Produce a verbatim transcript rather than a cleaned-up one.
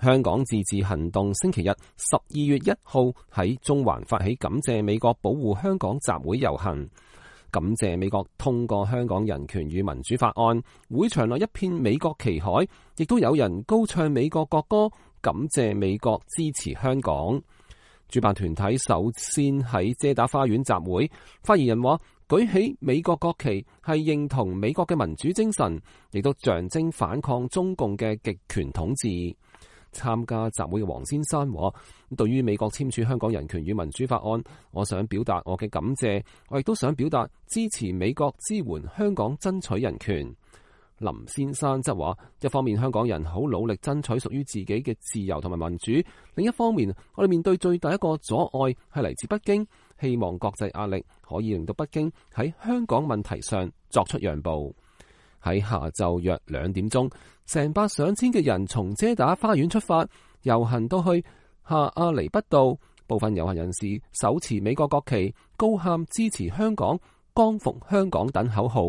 香港自治行動星期日十二月一號喺中環發起感謝美國保護香港集會遊行，感謝美國通過香港人權與民主法案，會場內一片美國旗海，亦都有人高唱美國國歌，感謝美國支持香港。主辦團體首先喺遮打花園集會，發言人話舉起美國國旗係認同美國嘅民主精神，亦都象徵反抗中共嘅極權統治。參加集會嘅黃先生話，對於美國簽署香港人權與民主法案，我想表達我嘅感謝，我亦都想表達支持美國支援香港爭取人權。林先生則話，一方面香港人好努力爭取屬於自己嘅自由同埋民主，另一方面我哋面對最大一個阻礙係嚟自北京，希望國際壓力可以令到北京喺香港問題上作出讓步。喺下晝約兩點鐘，成百上千嘅人從遮打花園出發，遊行到去下亞厘畢道。部分遊行人士手持美國國旗，高喊支持香港、光復香港等口號。